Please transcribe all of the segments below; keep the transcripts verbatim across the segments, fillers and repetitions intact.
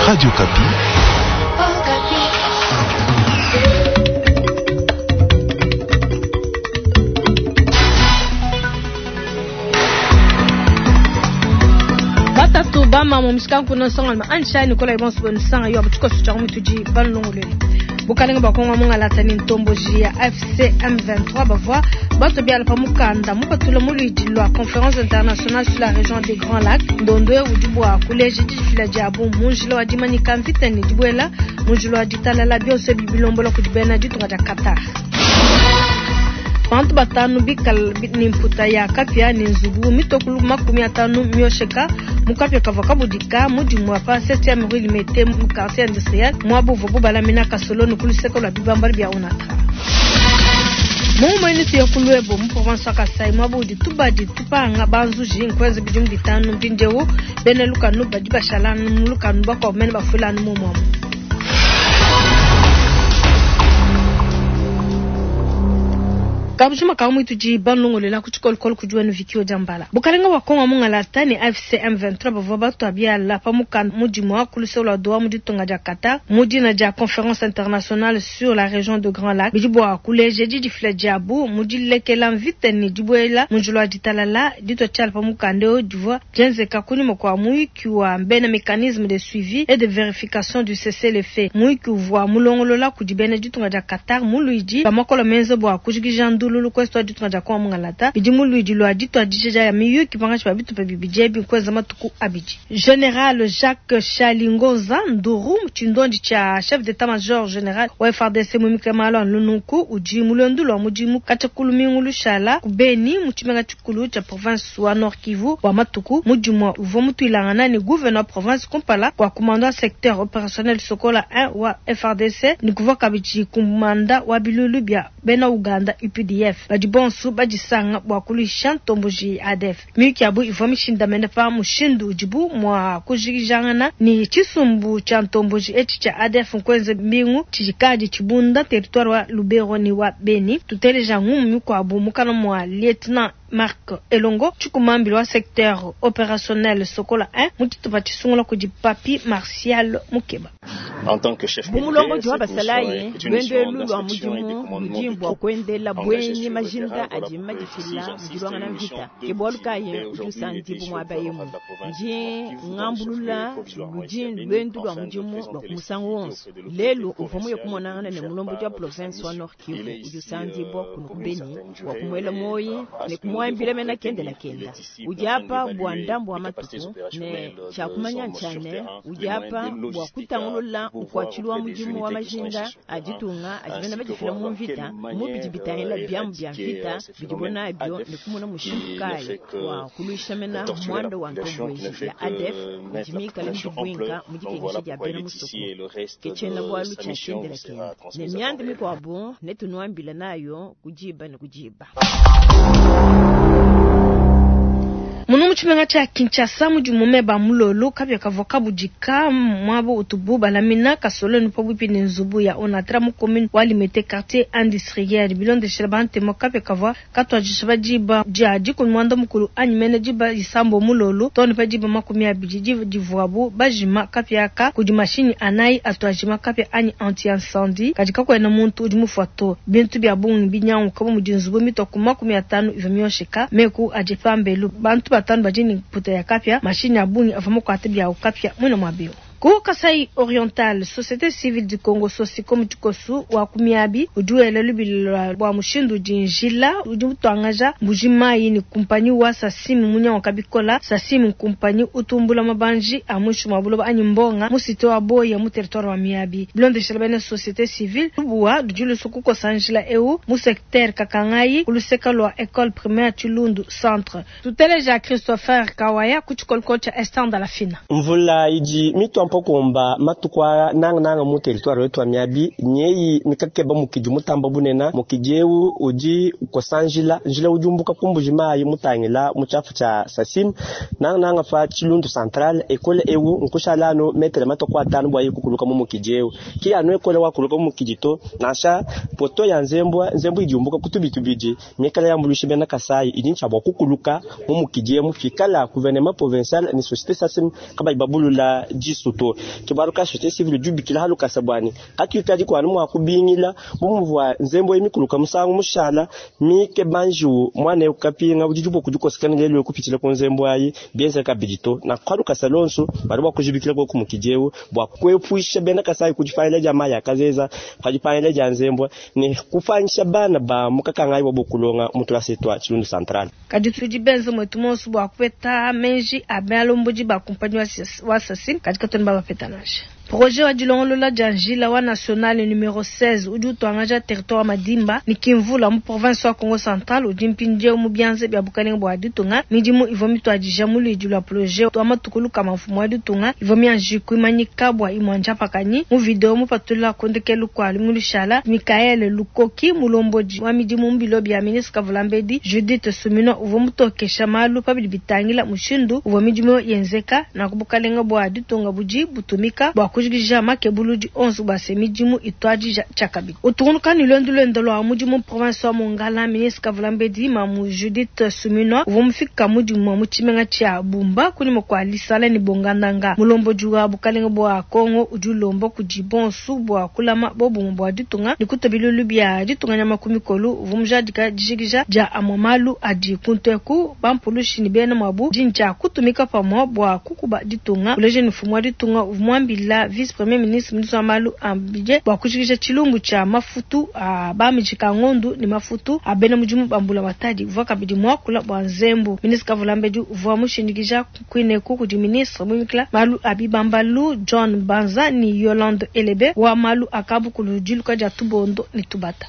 Radio Okapi. Batatu bama mu mishikanku na nsonga ansha Nicolas Ibonso bonisanga yo abutuko sucha mutudi banlongolele bukalenga bwa Kongo mungalata ni ntomboji ya A F C M vingt-trois bavua bato biala pa mukanda mupatula mu luidi lwa Conférence internationale sur la région des Grands Lacs. Ndondo udi bua kuleja didifila diabu mu njila wa dimanyika mvita ne dibuela mu njila wa ditalala, bionso ebi bilombola kudi bena ditunga dia Qatar. Bantu batanu bikala ni mputa ya kapia ni nzubu mitokulu makumi atanu miosheka mu kapia kavua kabudika mudimu wa pa septième rue Limete mu quartier industriel muabu uvuabu balamina kasoloni ku luseke lua bibambalu bia Onatra. Mu ya ku Luebo mu province wa Kasai muabu udi tubadi tupanga banzuji nkwenza bidimu bitanu mpindieu, bena lukanu badi bashala mu lukanu, bakuabu mene bafuilanu mumuamu. Kabujima ka mwitudi banlongolela ku tshikolokolo kudi wenu vikio dia mbala. Bukalenga bwa Kongo mungalata ne A F C M vingt-trois bavua batua biala pa mukanda mudimu wa ku luseke lua Doha mu ditunga dia Qatar mu dina dia Conférence internationale sur la région de Grands Lacs, bidi bua kuleja didifila diabu mu dilekela mvita ne dibuela mu njila wa ditalala. Ditua tshiala pa mukanda eu divua dienzeka kunyima kua muyuki wa bena mécanisme de suivi et de vérification du cessez-le-feu, muyuki uvua mulongolola kudi bena ditunga dia Qatar mu luidi bamakolo menza bua kujikija ndululu ku est wa ditunga dia Kongo mungalata. Bidi mu luidi lua dituadija ya miyuki pangatshi pa bitupa bibidi ebi nkuenza matuku abidi. Général Jacques Chalingoza Nduru, tshindondi tshia chef d'état-major général wa F A R D C muimike malu a nunku, udi mu luendu lua mudimu katshia ku lumingu lushala ku Beni mu tshimenga tshikulu tshia province wa Nord Kivu wa matuku. Mudimu uvua mutuilangana ne gouverneur wa province kumpala kua commandant secteur opérationnel Sokola un wa F A R D C ne kuvua kabidi kumanda wa bilulu bia bena Uganda U P D F, badi bonso badisanga bua kuluisha ntomboji A D F. Miyuki yabu ivua mishindamene pa mushindu udibu mua kujikijangana ne tshisumbu tshia ntomboji etshi tshia A D F nkuenza mbingu tshidikadi tshibunda territoire wa Lubero ne wa Beni. Tuteleja ngumu mikuabu mukana mua lieutenant Marc Elongo, tshikumambili wa secteur opérationnel Sokola un mu tshitupa tshisungula kudi Papi Martial Mukeba. Bu mulongodi wa basalayi, lwendo elu lwa mudimu ludi bua kuendela bwenyi majinda adi madifila mu dilwangana mvita, ke bualu kayi udi usandibu muaba emu ndi ngambulula ludi lwendu lwa mudimu lwa ku musangu wonso. Lelu uvua muye kumonangana ne mulombodi wa province wa Nord Kivu udi usandibwa kuno ku Beni wa kumuela moyi ne kumuambila mena kendela kenda udi apa bua ndambu wa matuku ne tshiakumanya ntshane udi apa bua kutangulula nkuatshilu wa mudimu wa majinda a ditunga adi bena badifila mu mvita mu bidi bitangila biamu bia mvita bidibo nabio ne kumona mushindu kayi wa kuluisha mena muanda wa ntomboji ya A D F udi mikale mudibwinka mu dikengesha dia bena musoko. Ke tshiena bualu tshia kendela kenda ne mianda mikuabu netunuambila nayo kudiba ne kudiba. Munu mu tshimenga tshia Kinshasa mudi meba mulolo kapia kavua kabudika muaba utubu balamina kasoloni pabuipi ne nzubu ya Onatra mu commune wa Limete, quartier industriel. Bilondeshela bantemo, kapia kavua katuadisha pa diba dia dikumi muanda mukulu anyi mene diba isambo mulolo too ne pa diba makumi abidi, diba divuabu bajima kapia aka kudi mashinyi anayi atu ajima kapia anyi anti incendie. Kadi kakuena muntu udi mufua to. Bintu bia bungi binyanguka bu mudi nzubu mitue ku makumi atanu ivua miosheka, meku adi pambelu, bantu batanu badi ne mputa ya kapia, mashinyi a bungi avua makuate biawu kapia muina muabiu. Ku Kasai Oriental, Société Civile du Congo Sosiko Mutikosu wa kumiabi udi wela lubili bua mushindu udi njila udi utuangaja Mbuji Mayi ne kumpanyi wa Sasimu munyanguka bikola. Sasimu kumpanyi utumbula mabanji a mwishi mwa buloba anyi mbonga mu cité wa Boya mu territoire wa Miabi. Bilondeshela bena société civile, lubuwa ludi lusu kukosa njila eu mu secteur Kakangayi ku luseka lua école primaire Chilundu centre. Tuteleja Christopher Kawaya ku tshikolokolo tshia Esther Ndalafina. Mvula idi mitua mpokomba matuku aa nangananga mu territoire wetu wa Miabi nyeyi mikakeba mukidi mutamba bunena. Mukidi eu udi ukosa njila, njila udi umbuka ku Mbuji Mayi mutangila mu tshiafu tshia Sasim, nangananga fa Chilundu central. Ekole eu nkushala anu metere matuku atanu bua yikukuluka mu mukidi eu ki anu ekole wakuluka mu mukidi to nansha poto ya nzembwa nzembu idi umbuka ku tubi tubidi mikala yambuluisha bena Kasai idi ntshia bua kukuluka mu mukidi emu fikala gouvernement provincial ni société Sasim kabayi babulula disu. to. Ke bualu ka société civile udi ubikila ha lukasa bua ne katuikadi kuanu mua kubingila bu muvua nzembo eyi mikuluka musangu mushala mike banjiwu mwana eu kapinga udi diboku dikosekana lelu kupitshila ku nzembo ayi bienza kabidi to. Na kwa lukasa lonso badi bua kujibikila koku mukidi eu bua kuepusha bena Kasai ku dipangila dia mayi a kazeza pa dipangila dia nzembo ne kupanyisha bana ba mukakangayi bua kulonga mu tulasa twa Tshilundu Central. Kadi tudi benze mwetu monso bua kupeta menji a balombodi ba kumpanyi wa Sasim kadi katuena babapeta nansha. Projet wa dilongolola dia njila wa national numero seize udi utuangaja territoire wa Madimba ni Kimvula mu province wa Kongo Central udi mpindieu mu bianza bia bukalenge bua ditunga. Midimu ivua mituadija mu luidi lua projet wa matuku lukama mfumu wa ditunga ivua mianji kuimanyika bua imue njapakanyi. Mu video mupatula ku ndekelu kua lumingu Michael Lukoki mulombodi wa midimu mu bilo bia ministre Kavulambedi Judith Suminwa uvua mutokesha malu pabidi bitangila mushindu uvua midimu yenzeka na ku bukalenge bua ditunga budi butumika bua kujikija makebuludi onso bua se midimu ituadija tshiakabidi. Utungunuka ne luendu luende lua mudimu mu province wa Mongala, ministre Kavulambedi Mamu Judith Suminwa uvua mufika mudimu mu tshimenga tshia Bumba kunyima kua Lisala ne Bongandanga. Mulombodi wa bukalenge bua Kongo udi ulomba kudi bonso bua kulama bobumue bua ditunga ne kutua bilulu bia ditunga nyama ku mikolo. Uvua mujadika dijikija dia amue malu adi kunteku bampulushi ne bena muabu dintshia kutumika pamue bua kukuba ditunga. Uleje ne mfumu wa ditunga uvua muambila vice premier ministre ministre wa malu a budget bua kujikija tshilumbu tshia mafutu a bamijika ngondu ne mafutu a bena mudimu ba mbulamatadi. Uvua kabidi muakula bua nzembu. Ministre Kavulambedi uvua mushindikija kuineku kudi ministre muimikila malu a bibambalu John Banza ni Yolande Elebe wa malu a kabukulu diluka dia tubondo ne tubata.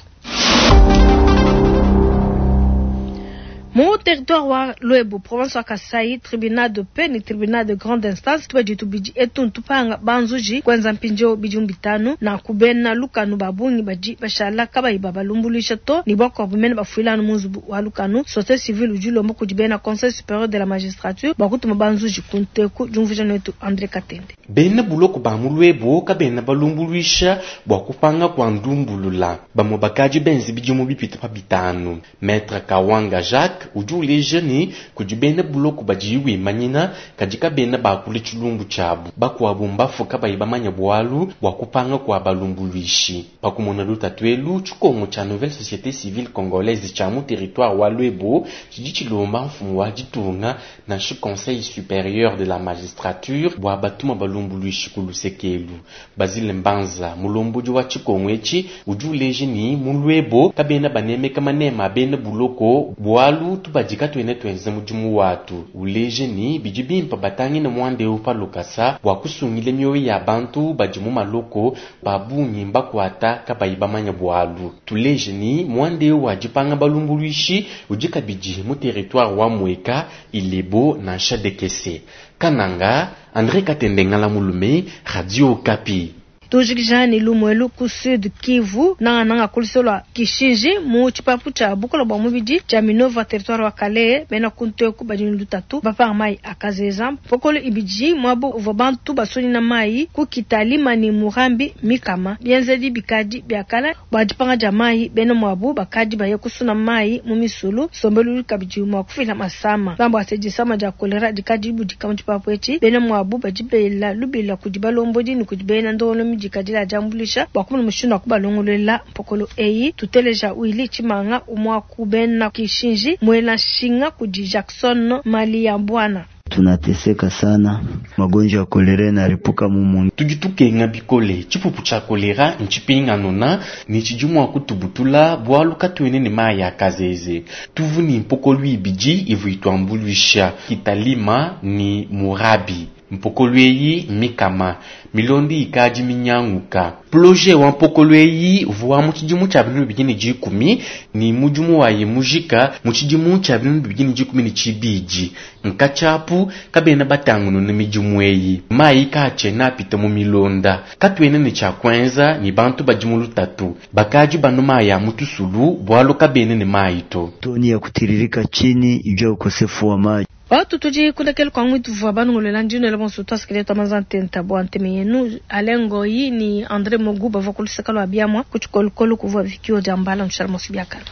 Mu territoire wa Luebo, province wa Kasai, tribunal de paix ni tribunal de grande instance tuba ditu bidi etu tupanga banzuji kwenza mpinjo bidi bitanu na kubena lukanu babungi badi bashala kabayi babalumbulisha to ni bwako bumene bafuila no munzubu wa lukanu. Société civile udi lomba kudi bena conseil supérieur de la magistrature bakutuma banzuji kunteku jumvuja netu André Katende. Bena buloko ba mu Luebo kabena balumbuluisha bua kupanga kwa ndumbulula bamwe bakaji benzi bidimu bipita pa bitanu. Maître Kawanga Jacques udi uleja ne kudi bena buloko badi wimanyina kadi kabena bakula tshilumbu tshiabu bakuabu mbafu kabayi bamanya bualu bua kupanga kwa balumbuluishi. Pakumona lutatu elu tshikongo tshia nouvelle société civile congolaise tshia mu territoire wa Luebo tshidi tshilomba mfumu wa ditunga nansha conseil supérieur de la magistrature bua batuma balumbuluishi ku lusekelu. Basile Mbanza mulombodi wa tshikongo etshi udi uleja ne mu Luebo kabena banemeka manema bena buloko bualu tubadika twene twenza mudimu watu. Uleje ni bidi bimpa batangine mwande pa lukasa bua kusungile mioyo ya bantu badi mu maloko babungi mbakwata kabayi bamanya bualu. Tuleje ni mwande wa dipanga balumbuluishi udi kabidi mu territoire wa Mweka Ilebo nansha Dekese. Kananga André Katende Ngala Mulume, Radio Okapi. Tujikija ni lumwelu ku Sud Kivu nanga nanga kulisolwa Kishinji mu tshipapu tshia bukola bua mubidi tshia Minova territoire wa Kalehe bena kunteku badi lutatu bapanga mai akazeza mpokolo ibidi mwabu uvua bantu basoni na mai ku Kitalima ni Murambi mikama bienzedi bikadi biakala bua dipanga dia mai bena mwabu bakadi baye kusuna mai mu misulu sombelu kabidi mua kufila masama bambo asedisama dia kolera dikadi budika mu tshipapu etshi bena mwabu badi bela lubila kudi balombodi ni kudi bena ndongolo dikadila jambulisha bua kumuna mushindu wa kubalongolola mpokolo eyi. Tuteleja Wili Chimanga umwa kubena Kishinji mwela nshinga kudi Jackson Mali ya Bwana. Tunateseka sana, magonjwa ya kolera yanaripuka mumu. Tudi tukenga bikole tshipupu tshia kolera ntshipinganona ni tshidi mua kutubutula bualu katuene ne mayi a kazeze. Tuvu ni mpokolo ibidi ivu ituambuluisha Kitalima ni Murabi. Mpokolo eyi mikama milondi ikadi minyanguka. Projet wa mpokolo eyi uvua mu tshidimu tshia binunu bibidi ne dikumi ni mudimu wayi mujika mu tshidimu tshia binunu bibidi ne dikumi ne tshibidi. Nkatshiapu kabena batangununa midimu eyi mayi kaatshiena apita mu milonda. Katuena ne tshia kuenza ni bantu badi mu lutatu bakadi banu mayi a mu tusulu bualu kabena ne mayi to. Toni ya kutiririka chini juu ya ukosefu wa maji. Watu tudi kundekele kwa mwitu vwa banungulela ndino ele bonso twasikile twamanza ntenta bwa nteme yenu Alengoyi ni André Mogu bavua kuluseka lwa biamwa kutshikolokolo kuvua vikio dia mbala ntshala mosi biakala.